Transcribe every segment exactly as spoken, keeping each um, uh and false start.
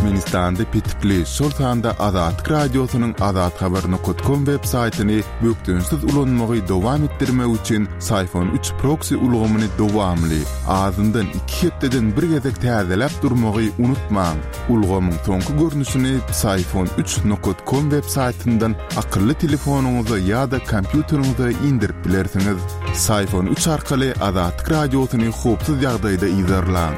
Türkmenistanda petikli, şol sanda Azatlyk Radiosynyň azathabar nokat kom web saýtyny bökdençsiz ulanmagy dowam etdirmek üçin Syfon üç proksi ulgamyny dowamly, azyndan iki hepdeden bir gezek täzeläp durmagy unutmaň. Ulgamyň soňky görnüşini Syfon üç nokat kom web saýtyndan akylly telefonyňyza ýa-da kompýuteriňize indirip bilersiňiz. Syfon üç arkaly Azatlyk Radiosyny howpsuz ýagdaýda yzarlaň.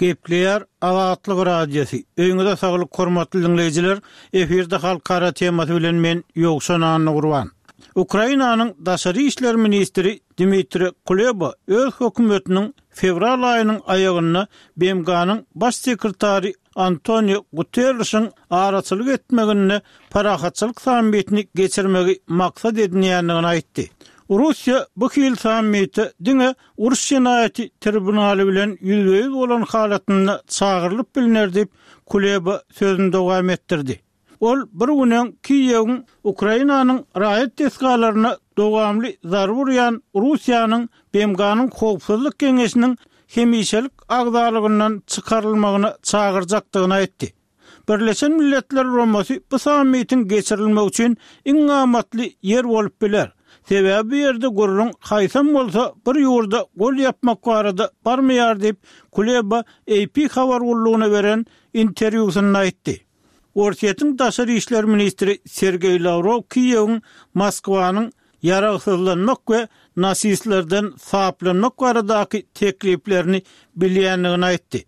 Gepleýär Azatlyk Radiosy. Öýüňize saglyk hormatly dinleýjiler. Efirde halkara temasy bilen men Ýowşan Annagurban. Ukrainanyň daşary işler ministri Dmitri Kuleba öz hökümetiniň fewral aýynyň aýagynda B M G-nyň baş sekretary Antonio Guterrişiň araçylyk etmeginde parahatçylyk sammitini geçirmegi maksat edinýändigini aýtdy. Russiýa bu hil sammite diňe uruş jenaýaty tribunaly bilen ýüzbe-ýüz bolan halatynda çagyrylyp bilner diýip Kuleba sözüni dowam etdirdi. Ol bir günün Kiýewiň Ukrainanyň raýat desgalaryna dowamly zarba urýan Russiýanyň B M G-nyň Howpsuzlyk Geňeşiniň hemişelik agzalygyndan çykarylmagyna çagyrjakdygyny aýtdy. Birleşen Milletler Guramasy bu sammitiň geçirilmegi üçin iň amatly ýer bolup biler. Sebäbi bu ýerde gurrun haýsam bolsa bir ýurda gol ýapmak barada barmaýar diýip Kuleba A P habar gullugyna beren interwýusynda aýtdy. Orsýetiň daşary işler ministri Sergeý Lawrow Kiýewiň Moskwanyň ýaragsyzlanmak we nasistlerden saplanmak baradaky tekliplerini bilýändigini aýtdy.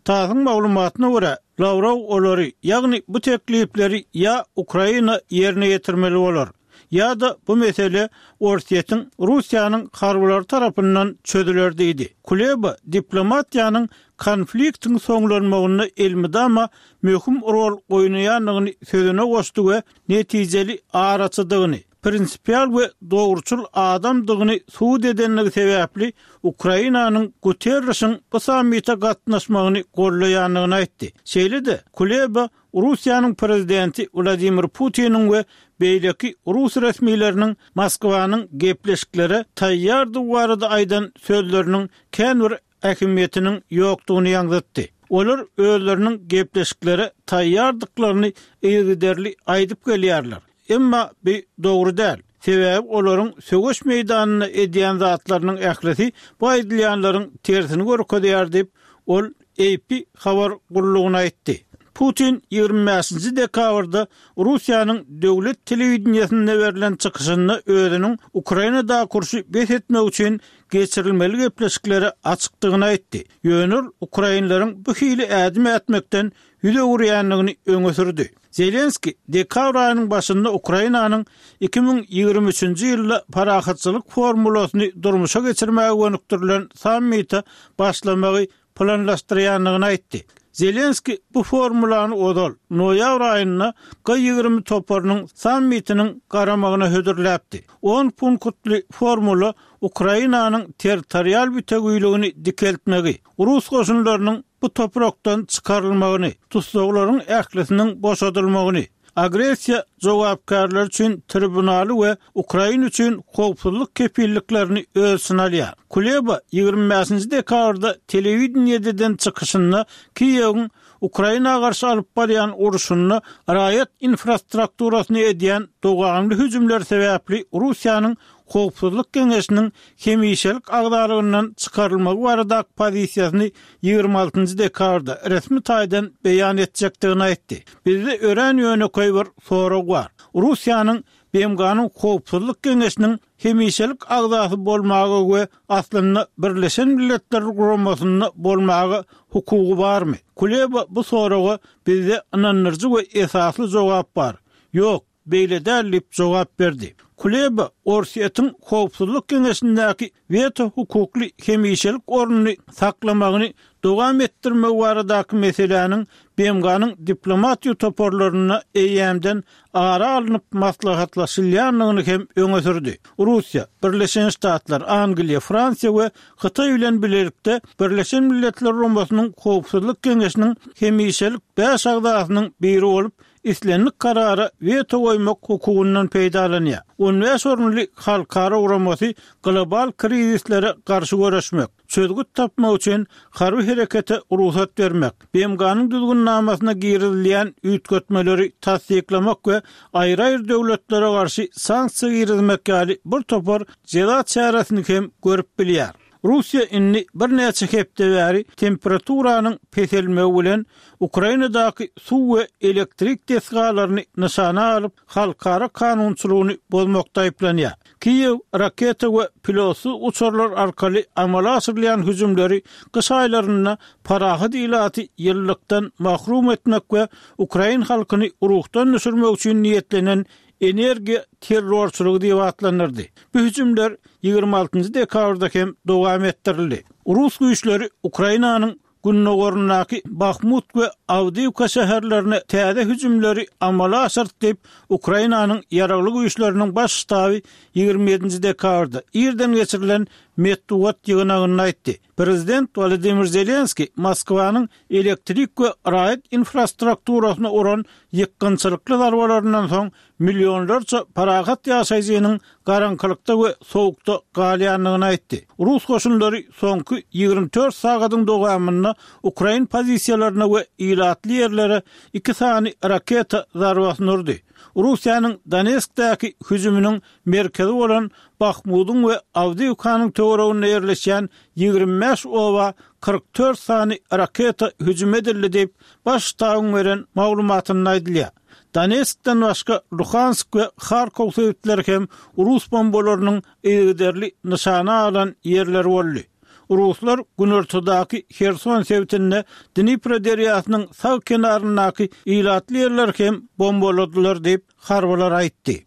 Tasyň maglumatyna görä, Lawrow olary, ýagny bu teklipleri ýa Ukraina ýerine ýetirmeli bolar, ýa-da bu mesele Orsýetiň Russiýanyň harbylary tarapyndan çözüler diýdi. Kuleba diplomatiýanyň konfliktiň soňlanmagynda elmydama möhüm rol oýnaýandygyny sözüne goşdy we netijeli araçydygyny, prinsipial we dogruçyl adamdygyny subut edenligi sebäpli Ukrainanyň Guterrişiň bu sammite gatnaşmagyny gollaýandygyny aýtdy. Şeýle-de Kuleba Russiýanyň prezidenti Wladimir Putiniň we beýleki rus resmileriniň Moskwanyň gepleşiklere taýýardygy barada aýdan sözleriniň kän bir ähmiýetiniň ýokdugyny ýaňzytdy. Olar özleriniň gepleşiklere taýýardyklaryny yzygiderli aýdyp gelýärler. Emma bu dogry däl. Sebäbi olaryň söweş meýdanynda edýän zatlarynyň ählisi bu aýdylýanlaryň tersini görkezýär diýip, ol A P habar gullugyna aýtdy. Putin ýigrimi bäşinji dekabrda Russiýanyň döwlet telewideniýesinde berlen çykyşynda özüniň Ukrainada urşy bes etmek üçin geçirilmeli gepleşiklere açykdygyny aýtdy. Ýöne ukrainleriň bu hili ädim ätmekden ýüz öwürýändigini öňe sürdi. Zelenski dekabr aýynyň başynda Ukrainanyň iki müň ýigrimi üçünji ýylda parahatçylyk formulasyny durmuşa geçirmäge gönükdirilen sammite başlamagy planlaşdyrýandygyny aýtdy. Zelenski bu formulany ozal noýabr aýynda G ýigrimi toparynyň sammitiniň garamagyna hödürläpdi. On punktly formula Ukrainanyň territorial bütewiligini dikeltmegi, rus goşunlarynyň bu toprakdan çykarylmagyny, tussaglaryň ählisiniň boşadylmagyny, agressiýa jogapkärler üçin tribunaly we Ukraina üçin howpsuzlyk kepilliklerini öz içine alýar. Kuleba ýigrimi bäşinji dekabrda telewideniýeden çykyşynda Kiýewiň Ukraina garşy alyp barýan urşunda raýat infrastrukturasyny edýän dowamly hüjümler sebäpli Russiýanyň Howpsuzlyk Geňeşiniň hemişelik agzalygyndan çykarylmagy baradaky pozisiýasyny ýigrimi altynjy dekabrda resmi taýdan beýan etjekdigini aýtdy. Bizde örän ýönekeý bir sorag bar. Russiýanyň B M G-nyň Howpsuzlyk Geňeşiniň hemişelik agzasy bolmagy we aslynda Birleşen Milletler Guramasynda bolmagy hukugy barmy? Kuleba bu soraga bizde ynandyryjy we esasly jogap bar. Ýok, beýle däl diýip jogap berdi. Kuleba Orsýetiň Howpsuzlyk Geňeşindäki weto hukukly hemişelik ornuny saklamagyny dowam etdirmek baradaky meseläniň B M G-nyň diplomatiýa toparlarynda eýýämden ara alnyp maslahatlaşylýandygyny hem öňe sürdi. Russiýa, Birleşen Ştatlar, Angliýa, Fransiýa we Hytaý bilen birlikde Birleşen Milletler Guramasynyň Howpsuzlyk Geňeşiniň hemişelik bäş agzasynyň biri bolup, islendik karara weto goýmak hukugyndan peýdalanýar. On bäş orunly halkara guramasy global krizislere garşy göreşmek, çözgüt tapmak üçin harby herekete rugsat bermek, B M G-nyň düzgünnamasyna girizilýän üýtgetmeleri tassyklamak we aýry-aýry döwletlere garşy sanksiýa girizmek ýaly bir topar jeza çäresini hem görüp bilýär. Russiýa indi birnäçe hepde bäri temperaturanyň peselmegi bilen Ukrainadaky suw we elektrik desgalaryny nyşana alyp, halkara kanunçylygyny bozmakda aýyplanýar. Kiýew raketa we pilotsyz uçarlar arkaly amala aşyrylýan hüjümleri gyş aýlarynda parahat ilaty ýyllykdan mahrum etmek we ukrain halkyny ruhdan düşürmek üçin niýetlenen energiýa terrorçylygy diýip atlandyrdy. Bu hüjümler ýigrimi altynjy dekabrda hem dowam etdirildi. Rus güýçleri Ukrainanyň gündogaryndaky Bahmut we Awdiýewka şäherlerine täze hüjümleri amala aşyrdy diýip, Ukrainanyň ýaragly güýçleriniň baş ştaby ýigrimi ýedinji dekabrda irden geçirilen metbugat ýygnagynda aýtdy. Prezident Wladimir Zelenski Moskwanyň elektrik we raýat infrastrukturasyna uran ýykgynçylykly zarbalaryndan soň millionlarça parahat ýaşaýjynyň garaňkylykda we sowukda galýandygyny aýtdy. Rus goşunlary soňky ýigrimi dört sagadyň dowamynda ukrain pozisiýalaryna we ilatly ýerlere iki sany raketa zarbasyny urdy. Russiýanyň Donetskdäki hüjüminiň merkezi bolan Bahmudyň we Awdiýewkanyň töwereginde ýerleşýän ýigrimi bäş oba kyrk dört sany raketa hüjüm edildi diýip, baş ştabyň beren maglumatynda aýdylýar. Donetskden başga Luhansk we Harkov sebitleri hem Rus bombalarynyň yzygiderli nyşana alan ýerleri boldy. Ruslar günortadaky Herson sebitinde Dnipro derýasynyň sag kenaryndaky ilatly ýerleri hem bombaladylar diýip harbylar aýtdy.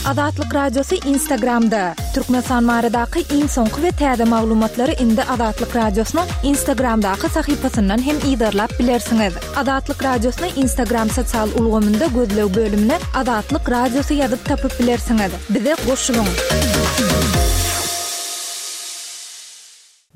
Azatlyk Radiosy Instagramda. Türkmenistan baradaky iň soňky we täze maglumatlary indi Azatlyk Radiosynyň Instagramdaky sahypasyndan hem yzarlap bilersiňiz. Azatlyk Radiosyny Instagram sosial ulgamynda gözleg bölümine Azatlyk Radiosy ýazyp tapyp bilersiňiz. Bize goşulyň.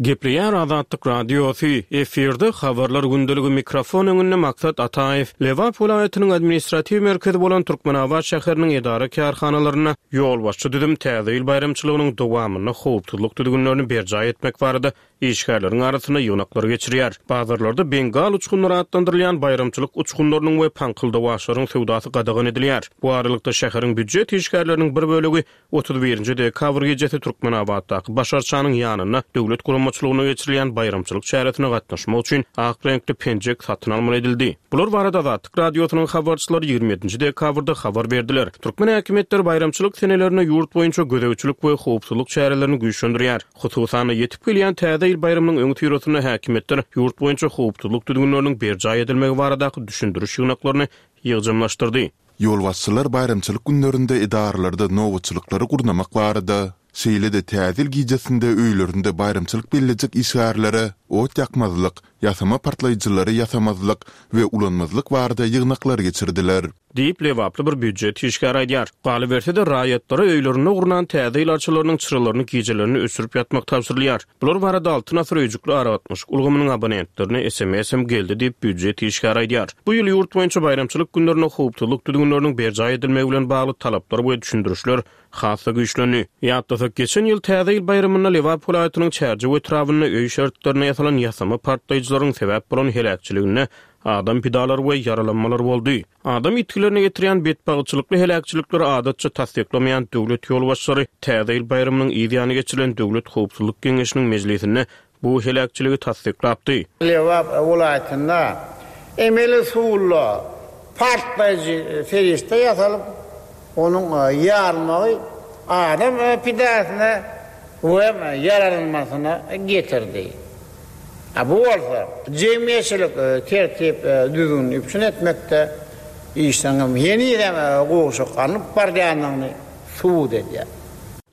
Gepleýär Azatlyk Radiosy, efirde habarlar gündeligi mikrofon öňünde Maksat Ataýew. Lebap welaýatynyň administratiw merkezi bolan Türkmenabat şäheriniň edara kärhanalarynda ýolbaşçy düzüm täze ýyl baýramçylygynyň dowamynda howpsuzlyk düzgünlerini berjaý etmek barada işgärleriň arasynda ýygnaklar geçirýär. Bazarlarda Bengal uçgunlary atlandyrylýan baýramçylyk uçgunlarynyň we paňkyldawaçlaryň söwdasy gadagan edilýär. Bu aralykda şäheriň býujet işgärleriniň bir bölegi otuz birinji dekabr gecesi Türkmenabatdaky Baş arçanyň ýanynda döwlet guramaçylygyna geçirilýän baýramçylyk çäresine gatnaşmak üçin ak reňkli penjek satyn almaly edildi. Bular barada Azatlyk Radiosynyň habarçylary ýigrimi ýedinji dekabrda habar berdiler. Türkmen häkimiýetleri baýramçylyk senelerine ýurt boýunça gözegçilik we howpsuzlyk çärelerini güýçlendirýär. Hususan ýetip gelýän täze ýyl baýramynyň öň syrasynda häkimiýetler ýurt boýunça howpsuzlyk düzgünleriniň berjaý edilmegi baradaky düşündiriş ýygnaklaryny ýygjamlaşdyrdy. Ýolbaşçylar baýramçylyk günlerinde edaralarda nobatçylyklary gurnamak barada, şeýle-de täze ýyl gijesinde öýlerinde baýramçylyk bellejek işgärlere ot ýakmazlyk, ýasama partlaýjylary ýasamazlyk we ulanmazlyk barada ýygnaklar geçirdiler. Diýip Lebaply bir býujet işgäri aýdýar. Galyberse-de raýatlara öýlerinde gurnan täze ýyl arçalarynyň çyralaryny gijelerini öçürip ýatmak tabşyrylýar. Bular barada Altyn asyr öýjükli aragatnaşyk ulgamynyň abonentlerine S M S hem geldi diýip býujet işgäri aýdýar. Bu ýyl ýurt boýunça baýramçylyk günlerinde howpsuzlyk düzgünleriniň berjaý edilmegi bilen bagly talaplar we düşündirişler has-da güýçlendi. Ýatlasak, geçen ýyl täze ýyl baýramynda Lebap welaýatynyň Çärjew etrabynda öý şertlerine ýasalan ýasama partlaýjylaryň sebäp bolan heläkçiliginde adam pidalary we ýaralanmalar boldy. Adam ýitgilerine getirýän betbagtçylykly heläkçilikleri adatça tassyklamaýan döwlet ýolbaşçylary täze ýyl baýramynyň yz ýany geçirilen Döwlet Howpsuzlyk Geňeşiniň mejlisinde bu heläkçiligi tassyklapdy. Lebap welaýatynda emeli suwla partlaýjy serişde ýasalyp, onuň ýarmagy adam pidasyna we ýaralanmasyna getirdi. A bu bolsa jemgyýetçilik tertip düzgünini üpjün etmekde işleňem henizem gowşak alnyp barýandygyny subut edýär.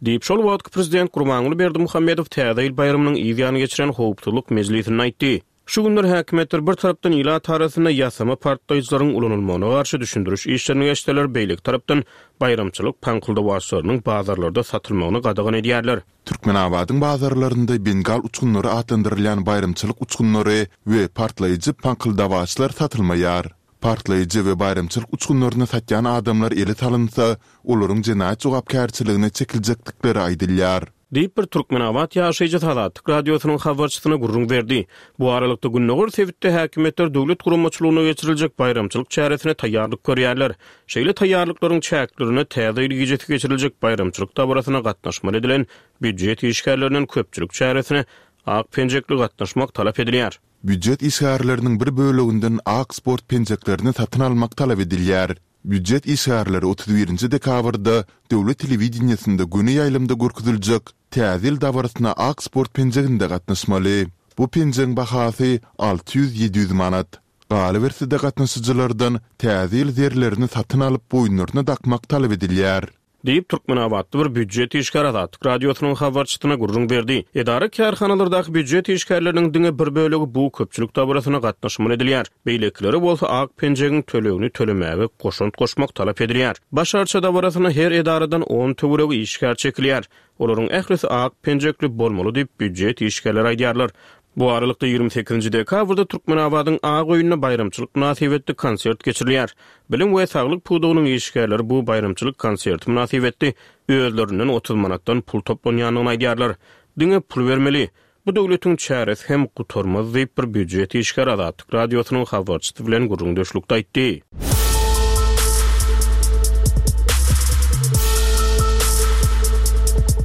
Diýip şol wagtky prezident Gurbanguly Berdimuhamedow täze ýyl baýramynyň yz ýany geçiren howpsuzlyk mejlisinde aýtdy. Şu günler häkimiýetler bir tarapdan ilat arasynda ýasama partlaýjylaryň ulanylmagyna garşy düşündiriş işlerini geçseler, beýleki tarapdan baýramçylyk paňkyldawaçlarynyň bazarlarda satylmagyny gadagan edýärler. Türkmenabadyň bazarlarynda Bengal uçgunlary atlandyrylýan baýramçylyk uçgunlary we partlaýjy paňkyldawaçlar satylmaýar. Partlaýjy we baýramçylyk uçgunlaryny satýan adamlar ele salynsa, olaryň jenaýat jogapkärçiligine çekiljekdikleri aýdylýar. Diýip, bir türkmenabat ýaşaýjysy Azatlyk Radiosynyň habarçysyna gürrüň berdi. Bu aralykda, gündogar sebitde häkimiýetler döwlet guramaçylygynda geçiriljek baýramçylyk çäresine taýýarlyk görýärler. Şeýle taýýarlyklaryň çäklerinde Täze ýyl gijesi geçiriljek baýramçylyk dabarasyna gatnaşmaly edilen býujet işgärlerinden köpçülik çäresine ak penjekli gatnaşmak talap edilýär. Býujet işgärleriniň bir böleginden ak sport penjeklerini satyn almak talap edilýär. Býujet işgärleri otuz birinji dekabrda döwlet telewideniýesinde göni ýaýlymda görkeziljek Täze ýyl dabarasyna ak sport penjeginde gatnaşmaly. Bu penjegiň bahasy alty ýüz-ýedi ýüz manat. Galyberse-de gatnaşyjylardan Täze ýyl zerlerini satyn alyp boýunlaryna dakmak talap edilýär. Diýip, türkmenabatly bir býujet işgäri Azatlyk Radiosynyň habarçysyna gürrüň berdi. Edara-kärhanalardaky býujet işgärleriniň diňe bir bölegi bu köpçülik dabarasyna gatnaşmaly edilýär. Beýlekilere bolsa ak penjegiň tölegini tölemäge goşant goşmak talap edilýär. Baş arça dabarasyna her edaradan on töweregi işgär çekilýär. Olaryň ählisi ak penjekli bolmaly diýip, býujet işgärleri aýdýarlar. Bu aralykda, ýigrimi sekizinji dekabrda Türkmenabadyň Ak öýünde baýramçylyk mynasybetli konsert geçirilýär. Bilim we saglyk pudagynyň işgärleri bu baýramçylyk konserti mynasybetli özlerinden otuz manatdan pul toplanýandygyny aýdýarlar. Diňe pul bermeli. Bu döwletiň çäresi hem gutarmaz diýip, bir býujet işgäri Azatlyk Radiosynyň habarçysy bilen gürrüňdeşlikde aýtdy.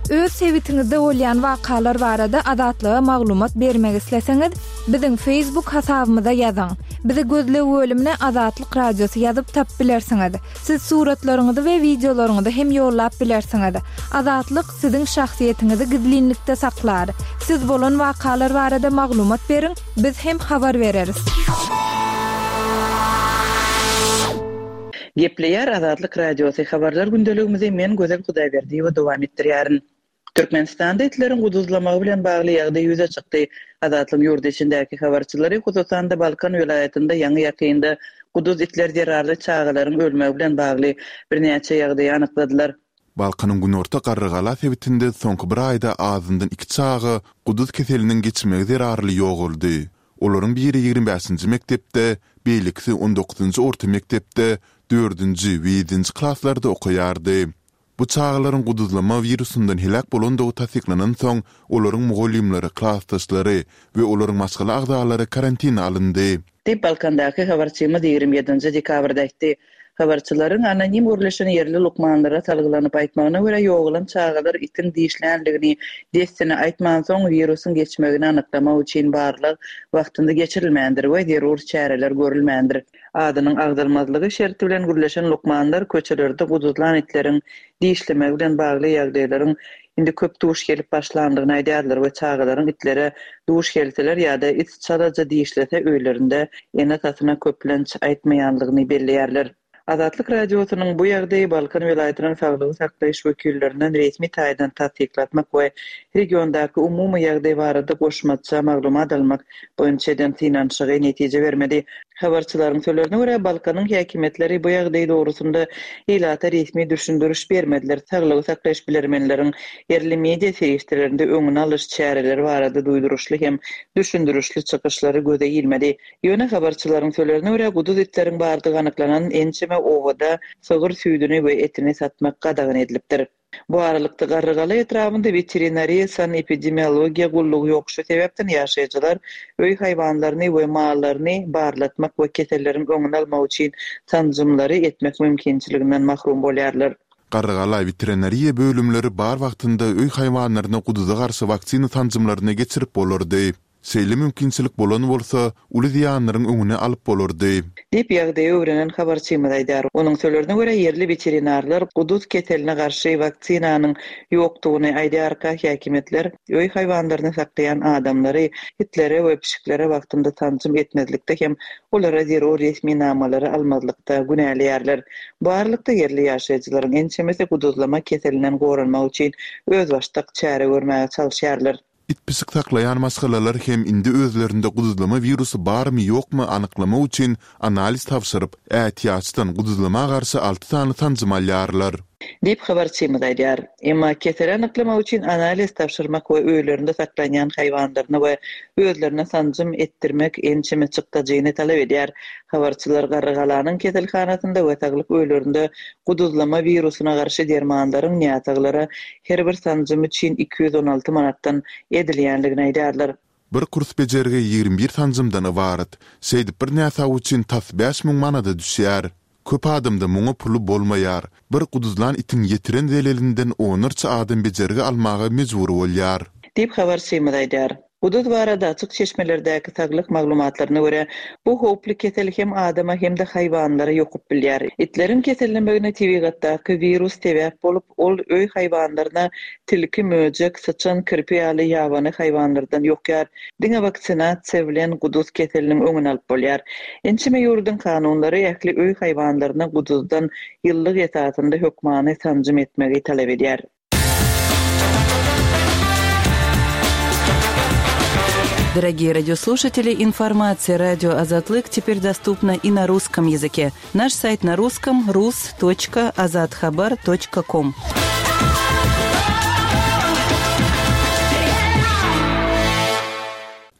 Öz sebitiňizde bolýan wakalar barada Azatlyga maglumat bermek isleseňiz, biziň Facebook hasabymyza ýazyň. Bizi gözleg bölümine Azatlyk Radiosy ýazyp tapyp bilersiňiz. Siz suratlaryňyzy we wideolaryňyzy hem ýollap bilersiňiz. Azatlyk siziň şahsyýetiňizi gizlinlikde saklar. Siz bolan wakalar barada maglumat beriň, biz hem habar bereris. Gepleýär Azatlyk Radiosy habarlar gündeligimizi men Gözel Hudaýberdiýewa dowam etdirýärin. Türkmenistanda itleriň guduzlamagy bilen bagly ýagdaý ýüze çykdy. Azatlygyň ýurt içindäki habarçylary, hususan-da Balkan welaýatynda ýaňy-ýakynda guduz itler zerarly çagalaryň ölmegi bilen bagly birnäçe ýagdaýy anykladylar. Balkanyň günorta Garrygala sebitinde soňky bir aýda azyndan iki çaga guduz keseliniň geçmegi zerarly ýogaldy. Olaryň biri ýigrimi bäşinji mekdepde, beýlekisi on dokuzynjy orta mekdepde, dördünji we ýedinji klaslarda okaýardy. Bu çagalaryň guduzlama wirusyndan heläk bolandygy tassyklanansoň, olaryň mugallymlary, klasdaşlary we olaryň maşgala agzalary karantine alyndy. Diýip, Balkandaky habarçymyz ýigrimi ýedinji dekabrda aýtdy. Habarçylaryň anonim gürleşen ýerli lukmanlara salgylanyp aýtmagyna görä, ýogalan çagalar itiň dişlänligini dessine aýtmansoň, wirusyň geçmegini anyklamak üçin barlag wagtynda geçirilmändir we zerur çäreler görülmändir. Adynyň agzalmazlygy şerti bilen gürleşen lukmanlar köçelerde guduzlan itleriň dişlemegi bilen bagly ýagdaýlaryň indi köp duş gelip başlandygyny aýdýarlar we çagalaryň itlere duş gelseler ýa-da it çalaja dişlese öýlerinde ene-atasyna köplenç aýtmaýanlygyny belleýärler. Azatlyk Radiosynyň bu ýagdaýy Balkan welaýatynyň saglygy saklaýyş wekillerinden resmi taýdan tassyklatmak we regiondaky umumy ýagdaý barada goşmaça maglumat almak boýunça eden synanyşygy netije bermedi. Habarçylaryň sözlerine görä, Balkanyň häkimiýetleri bu ýagdaý dogrusynda ilata resmi düşündiriş bermediler, saglygy saklaýyş bilermenleriň ýerli media serişdelerinde öňüni alyş çäreleri barada duýduryşly hem düşündirişli çykyşlary göze ilmedi. Ýöne habarçylaryň sözlerine görä, guduz itleriň bardygy anyklanan ençeme obada sygyr süýdüni we etini satmak gadagan edilipdir. Bu aralykda, Garrygala etrabynda weterinariýa-sanepidemiologiýa gullugy ýok, şu sebäpden ýaşaýjylar öý haýwanlaryny we mallaryny barlatmak we keselleriň öňüni almak üçin sanjymlary etmek mümkinçiliginden mahrum bolýarlar. Garrygala weterinariýa bölümleri bar wagtynda öý haýwanlaryna guduza garşy waksina sanjymlaryny geçirip bolardy. Şeýle mümkinçilik bolan bolsa, uly zyýanlaryň öňüni alyp bolardy. Diýip, ýagdaýy öwrenen habarçymyz aýdýar. Onuň sözlerine görä, ýerli weterinarlar guduz keseline garşy waksinanyň ýokdugyny aýdýarka, häkimiýetler öý haýwanlaryny saklaýan adamlary itlere we pişiklere wagtynda sanjym etmezlikde hem olara zerur resminamalary almazlykda günäleýärler. Bu aralykda, ýerli ýaşaýjylaryň ençemesi guduzlama keselinden goranmak üçin özbaşdak çäre görmäge çalyşýarlar. It-pişik saklaýan maşgalalar hem indi özlerinde guduzlama wirusy barmy-ýokmy anyklamak üçin analiz tabşyryp, ätiýaçdan guduzlama garşy alty sany sanjym alýarlar. Diýip, habarçymyz aýdýar. Emma keseli anyklamak üçin analiz tabşyrmak we öýlerinde saklanýan haýwanlaryna we özlerine sanjym etdirmek ençeme çykdajyny talap edýär. Habarçylar Garrygalanyň keselhanasynda we saglyk öýlerinde guduzlama wirusyna garşy dermanlaryň näsaglara her bir sanjym üçin iki ýüz on alty manatdan edilýändigini aýdýarlar. Bir kurs bejergi ýigrimi bir sanjymdan ybarat. Şeýdip bir näsag üçin tas bäş müň manada düşýär. Köp adamda muňa puly bolmaýar. Bir guduzlan itiň ýetiren zelelinden onlarça adam bejergi almaga mejbur bolýar. Diýip, habarçymyz aýdýar. Guduz barada açyk çeşmelerdäki saglyk maglumatlaryna görä, bu howply kesel hem adama hem-de haýwanlara ýokup bilýär. Itleriň kesellemegine tebigatdaky wirus sebäp bolup, ol öý haýwanlaryna tilki, möjek, syçan, kirpi ýaly ýabany haýwanlardan ýokýar. Diňe waksinasiýa bilen guduz keseliniň öňüni alyp bolýar. Ençeme ýurduň kanunlary ähli öý haýwanlaryna guduzdan ýyllyk esasynda hökmany sanjym etmegi talap edýär. Дорогие радиослушатели, информация радио Азатлык теперь доступна и на русском языке. Наш сайт на русском рус точка азатхабар точка ком.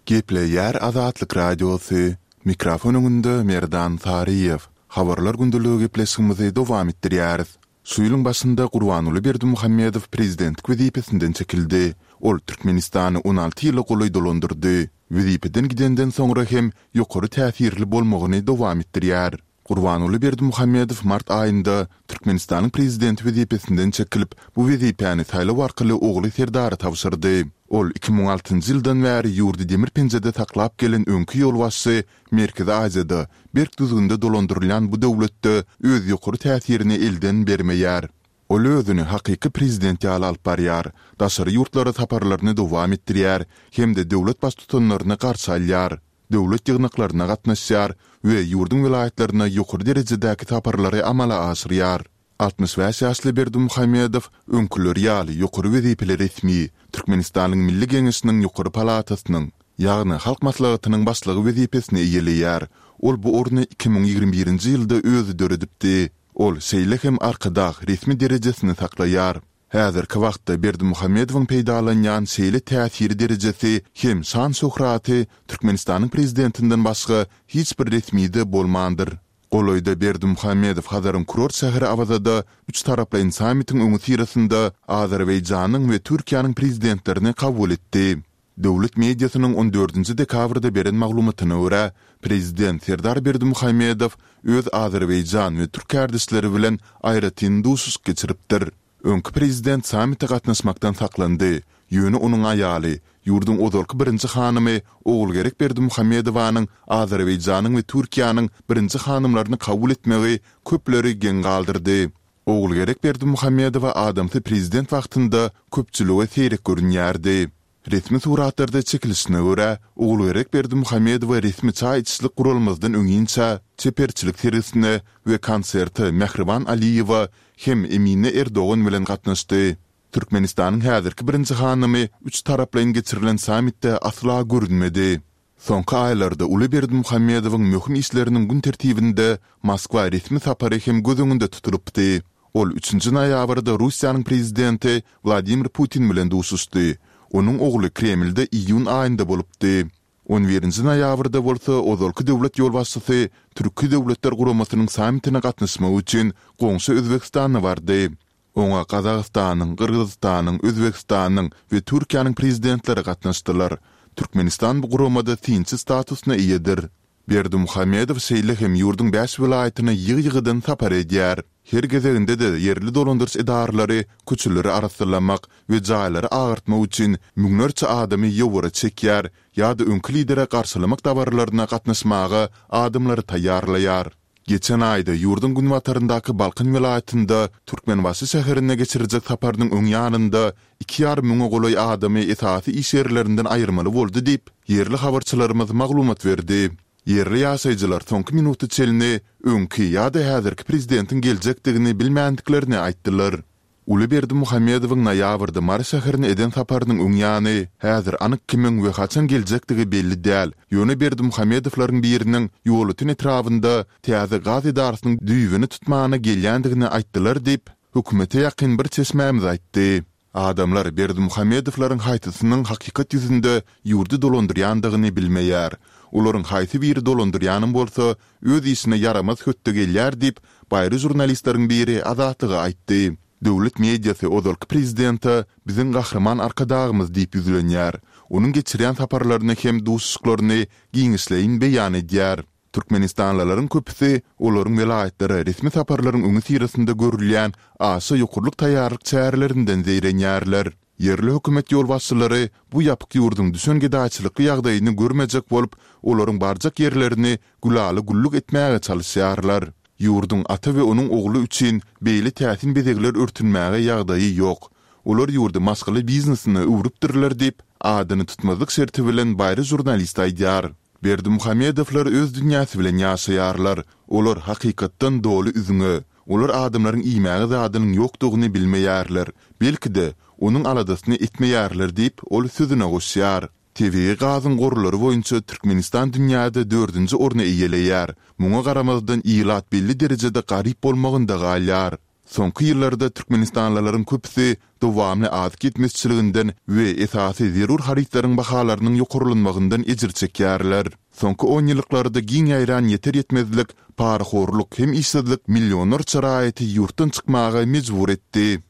Gepleýär Azatlyk Radiosy. Mikrofon öňünde Merdan Saryýew. Habarlar gündeligi gepleşigimizi dowam etdirýäris. Şu ýylyň başynda Gurbanguly Berdimuhamedow prezidentlik wezipesinden çekildi. Ol Türkmenistany on alty ýyla golaý dolandyrdy. Wezipeden gidenden soňra hem ýokary täsirli bolmagyny dowam etdirýär. Gurbanguly Berdimuhamedow mart aýynda Türkmenistanyň prezidenti wezipesinden çekilip, bu wezipäni saýlaw arkaly ogly Serdara tabşyrdy. Ol iki müň altynjy ýyldan bäri ýurdy demir penjede saklap gelen öňki ýolbaşçy Merkezi Aziýada berk düzgünde dolandyrylýan bu döwletde öz ýokary täsirini elden bermeýär. Ol özüni hakyky prezident ýaly alyp barýar, daşary ýurtlara saparlaryny dowam etdirýär hem-de döwlet baştutanlaryny garşy alýar, döwlet ýygnaklaryna gatnaşýar we ýurduň welaýatlaryna ýokary derejedäki saparlary amala aşyrýar. Altmyş bäş ýaşly Berdimuhamedow öňküleri ýaly ýokary wezipeli resmi, Türkmenistanyň Milli Geňeşiniň ýokary palatasynyň, ýagny Halk Maslahatynyň başlygy wezipesini eýeleýär. Ol bu orny iki müň ýigrimi birinji ýylda özi döredipdi. Ol şeýle hem Arkadag resmi derejesini saklaýar. Häzirki wagtda Berdimuhamedowyň peýdalanýan şeýle täsiri derejesi hem şan-şöhraty Türkmenistanyň prezidentinden başga hiç bir resmide bolmandyr. Golaýda Berdimuhamedow Hazaryň kurort şäheri Awazada üç taraplaýyn sammitiň öňi syrasynda Azerbaýjanyň we Türkiýäniň prezidentlerini kabul etdi. Döwlet mediasynyň on dördünji dekabrda beren maglumatyna görä, prezident Serdar Berdimuhamedow öz Azerbaýjan we türk kardeşleri bilen aýratyn duşuşyk geçiripdir. Öňki prezident sammite gatnaşmakdan saklandy. Ýöne onuň aýaly, ýurduň ozalky birinji hanymy Ogulgerek Berdimuhamedowanyň Azerbaýjanyň we Türkiýäniň birinji hanymlaryny kabul etmegi köpleri geň galdyrdy. Ogulgerek Berdimuhamedowa adamsy prezident wagtynda köpçülige seýrek görünýärdi. Resmi suratlarda çekilişine görä, Ogulgerek Berdimuhamedowa resmi çaý içişlik guralmazdan öňinçä çeperçilik sergisine we konserte Mähriban Aliýewa hem Emine Erdogan bilen gatnaşdy. Türkmenistanyň häzirki birinji hanymy üç taraplaýyn geçirilen sammitde asla görünmedi. Soňky aýlarda Uly Berdimuhamedowyň möhüm işleriniň gün tertibinde Moskwa resmi sapary hem göz öňünde tutulypdy. Ol üçünji noýabrda Russiýanyň prezidenti Wladimir Putin bilen duşuşdy. Onuň ogly Kremlde iýun aýynda bolupdy. On birinji noýabrda bolsa ozalky döwlet ýolbaşçysy Türki Döwletler Guramasynyň sammitine gatnaşmak üçin goňşy Özbegistana bardy. Oňa Gazagystanyň, Gyrgyzystanyň, Özbegistanyň we Türkiýäniň prezidentleri gatnaşdylar. Türkmenistan bu guramada synçy statusyna eýedir. Berdimuhamedow şeýle hem ýurduň bäş welaýatyna ýygy-ýygydan sapar edýär. Her gezeginde-de ýerli dolandyryş edaralary köçeleri arassalamak we jaýlary agartmak üçin müňlerçe adamy ýowara çekýär ýa-da öňki lidere garşylamak dabaralaryna gatnaşmaga adamlary taýýarlaýar. Geçen aýda ýurduň günbataryndaky Balkan welaýatynda Türkmenbaşy şäherine geçiriljek saparynyň öň ýanynda iki ýarym müňe golaý adamy esasy iş ýerlerinden aýyrmaly boldy diýip, ýerli habarçylarymyz maglumat berdi. Ýerli ýaşaýjylar soňky minuta çenli öňki ýa-da häzirki prezidentiň geljekdigini bilmändiklerini aýtdylar. Uly Berdimuhamedowyň noýabrda Mary şäherine eden saparynyň öň ýany, häzir anyk kimiň we haçan geljekdigi belli däl, ýöne Berdimuhamedowlaryň biriniň Ýolöten etrabynda täze gaz edarasynyň düýbüni tutmana gelýändigini aýtdylar diýip, hökümete ýakyn bir çeşmämiz aýtdy. Adamlar Berdimuhamedowlaryň haýsysynyň hakykat ýüzünde ýurdy dolandyrýandygyny bilmeýär. Olaryň haýsy biri dolandyrýanam bolsa, öz işine ýaramaz hötde gelýär diýip, baýry žurnalistleriň biri Azatlyga aýtdy. Döwlet mediasy ozalky prezidente biziň Gahryman Arkadagymyz diýip ýüzlenýär. Onuň geçirýän saparlaryny hem duşuşyklaryny giňişleýin beýan edýär. Türkmenistanlylaryň köpüsi olaryň welaýatlara resmi saparlaryň öňüsyrasynda görülýän aşa ýokarlyk taýýarlyk çärelerinden zeýrenýärler. Ýerli hökümet ýolbaşçylary bu ýapyk ýurduň düşen gedaýçylykly ýagdaýyny görmejek bolup, olaryň barjak ýerlerini gülala-güllük etmäge çalyşýarlar. Ýurduň ata we onuň ogly üçin beýle täsin bezegler örtünmäge ýagdaýy ýok. Olar ýurdy maşgala biznesine öwrüpdirler diýip, adyny tutmazlyk şerti bilen baýry žurnalist aýdýar. Berdimuhamedowlar öz dünýäsi bilen ýaşaýarlar. Olar hakykatdan doly üzňe. Olar adamlaryň iýmäge zadynyň ýokdugyny bilmeýärler. Belki-de, onuň aladasyny etmeýärler diýip, ol sözüne goşýar. Tebigy gazyň gorlary boýunça Türkmenistan dünýäde dördünji orny eýeleýär. Muňa garamazdan ilat belli derejede garyp bolmagynda galýar. Soňky ýyllarda türkmenistanlylaryň köpüsi dowamly azyk ýetmezçiliginden we esasy zerur harytlaryň bahalarynyň ýokarlanmagyndan ejir çekýärler. Soňky onýyllyklarda giň ýaýran ýeter-ýetmezlik, parahorluk hem işsizlik millionlarça raýaty ýurtdan çykmaga mejbur etdi.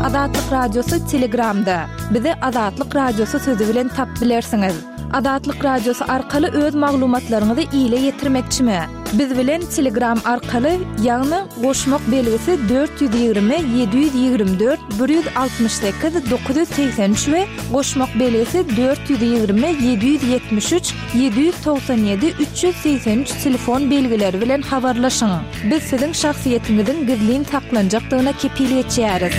Azatlyk Radiosy Telegramda. Bizi Azatlyk Radiosy sözi bilen tap bilersiňiz. Azatlyk Radiosy arkaly öz maglumatlaryňyzy ile ýetirmekçimi? Biz bilen Telegram arkaly, ýagny goşmak belgisi dört ýüz ýigrimi ýedi ýüz ýigrimi dört bir ýüz altmyş sekiz dokuz ýüz segsen üç we goşmak belgisi dört ýüz ýigrimi ýedi ýüz ýetmiş üç ýedi ýüz togsan ýedi üç ýüz segsen üç telefon belgileri bilen habarlaşyň. Biz siziň şahsyýetiňiziň gizlin saklanjakdygyna kepil geçýäris.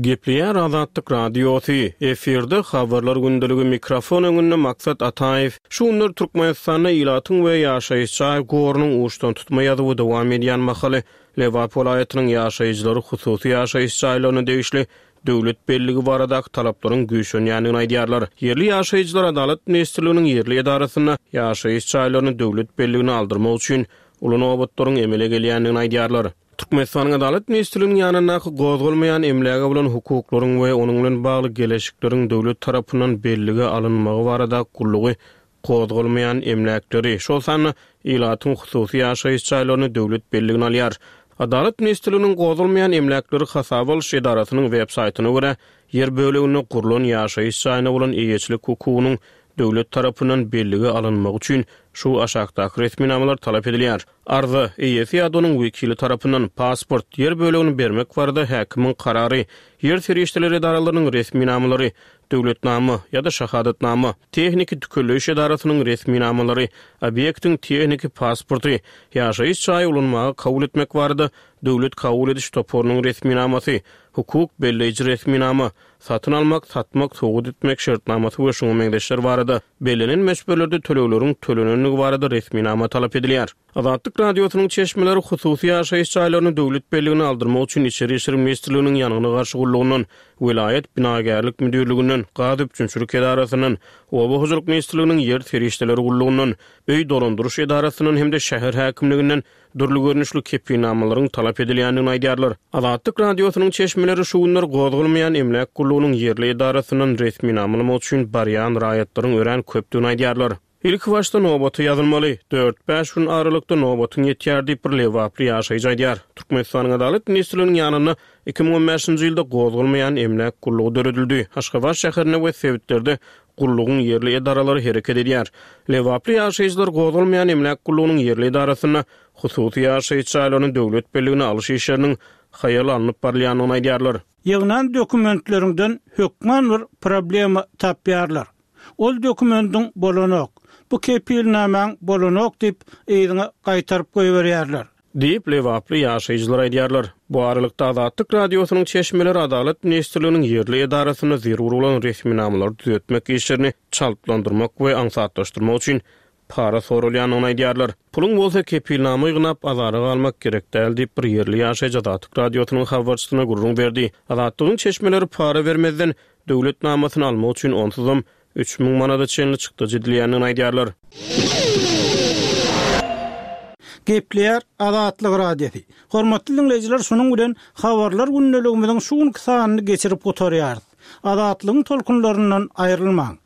Gepleýär Azatlyk Radiosy, efirde Habarlar gündeligi, mikrofon öňünde Maksat Ataýew. Şu günler Türkmenistanda ilatyň we ýaşaýyş jaý gorunyň uçdan tutma ýazuwy dowam edýän mahaly Lebap welaýatynyň ýaşaýjylary hususy ýaşaýyş jaýlaryna degişli döwlet belligi baradaky talaplaryň güýçlenýändigini aýdýarlar. Ýerli ýaşaýjylar Adalat ministrliginiň ýerli edarasynda ýaşaýyş jaýlaryny döwlet belligine aldyrmak üçin uly nobatlaryň emele gelýändigini aýdýarlar. Türkmenistanyň Adalat ministrliginiň ýanyndaky gozgalmaýan emläge bolan hukuklaryň we onuň bilen bagly geleşikleriň döwlet tarapyndan bellige alynmagy barada gullugy gozgalmaýan emläkleri, şol sanda ilatyň hususy ýaşaýyş jaýlaryny döwlet belligine alýar. Adalat ministrliginiň gozgalmaýan emläkleri hasaba alyş edarasynyň web saýtyna görä, ýer böleginde gurlan ýaşaýyş jaýyna bolan eýeçilik hukugynyň döwlet tarapyndan bellige alynmagy üçin şu aşakdaky resminamalar talap edilýär. Arza, eýesi ýa-da onuň wekili tarapyndan pasport, ýer bölegini bermek barada häkimiň karary, ýer serişdeleri edaralarynyň resminamalary, döwletnama ýa-da şahadatnama, tehniki tükelleýiş edarasynyň resminamalary, obýektiň tehniki pasporty, ýaşaýyş jaýy ulanmaga kabul etmek barada döwlet kabul ediş toparynyň resminamasy, hukuk belleýji resminama, satyn almak, satmak, sowgat etmek şertnamasy we şuňa meňzeşler barada bellenen möçberlerde tölegleriň tölenendigi barada resminama talap edilýär. Azatlyk Radiosynyň çeşmeleri hususy ýaşaýyş jaýlaryny döwlet belligine aldyrmak üçin Içeri işler ministrliginiň ýangyna garşy gullugyndan, welaýat binagärlik müdirliginden, gaz üpjünçilik edarasyndan, Oba hojalyk ministrliginiň ýer serişdeleri gullugyndan, öý dolandyryş edarasyndan hem-de şäher häkimliginden dürli görnüşli kepilnamalaryň talap edilýändigini aýdýarlar. Azatlyk Radiosynyň çeşmeleri şu günler gozgalmaýan emläk gullugynyň ýerli edarasyndan resminamalamak üçin barýan raýatlaryň örän köpdügini aýdýarlar. Ilki başda nobata ýazylmaly, dört-bäş gün aralykda nobatyň ýetýär diýip, bir lebaply ýaşaýjy aýdýar. Türkmenistanyň Adalat ministrliginiň ýanynda iki müň on bäşinji ýylda gozgalmaýan emläk gullugy döredildi. Aşgabat şäherinde we sebitlerde gullugyň ýerli edaralary hereket edýär. Lebaply ýaşaýjylar gozgalmaýan emläk gullugynyň ýerli edarasynda hususy ýaşaýyş jaýlaryny döwlet belligine alyş işleriniň haýal alnyp barylýandygyny aýdýarlar. Ýygnan dokumentlerinden hökman bir problema tapýarlar. Ol dokumendiň bolanok, bu kepilnamaň bolanok diýip yzyňa gaýtaryp goýberýärler. Diýip, lebaply ýaşaýjylar aýdýarlar. Bu aralykda Azatlyk Radiosynyň çeşmeleri Adalat ministrliginiň ýerli edarasynda zerur bolan resminamalary düzetmek işlerini çaltlandyrmak we aňsatlaşdyrmak üçin para sorulýandygyny aýdýarlar. Puluň bolsa kepilnama ýygnap azara galmak gerek däl diýip bir ýerli ýaşaýjy Azatlyk Radiosynyň habarçysyna gürrüň berdi. Azatlygyň çeşmeleri para bermezden döwlet namasyny almak üçin onsuzam üç müň manada çenli çykdajy edilýändigini aýdýarlar. Gepleýär Azatlyk Radiosy. Hormatly diňleýjiler, şunuň bilen habarlar gündeligimiziň şu günki sanyny geçirip gutarýarys. Azatlygyň tolkunlaryndan aýrylmaň.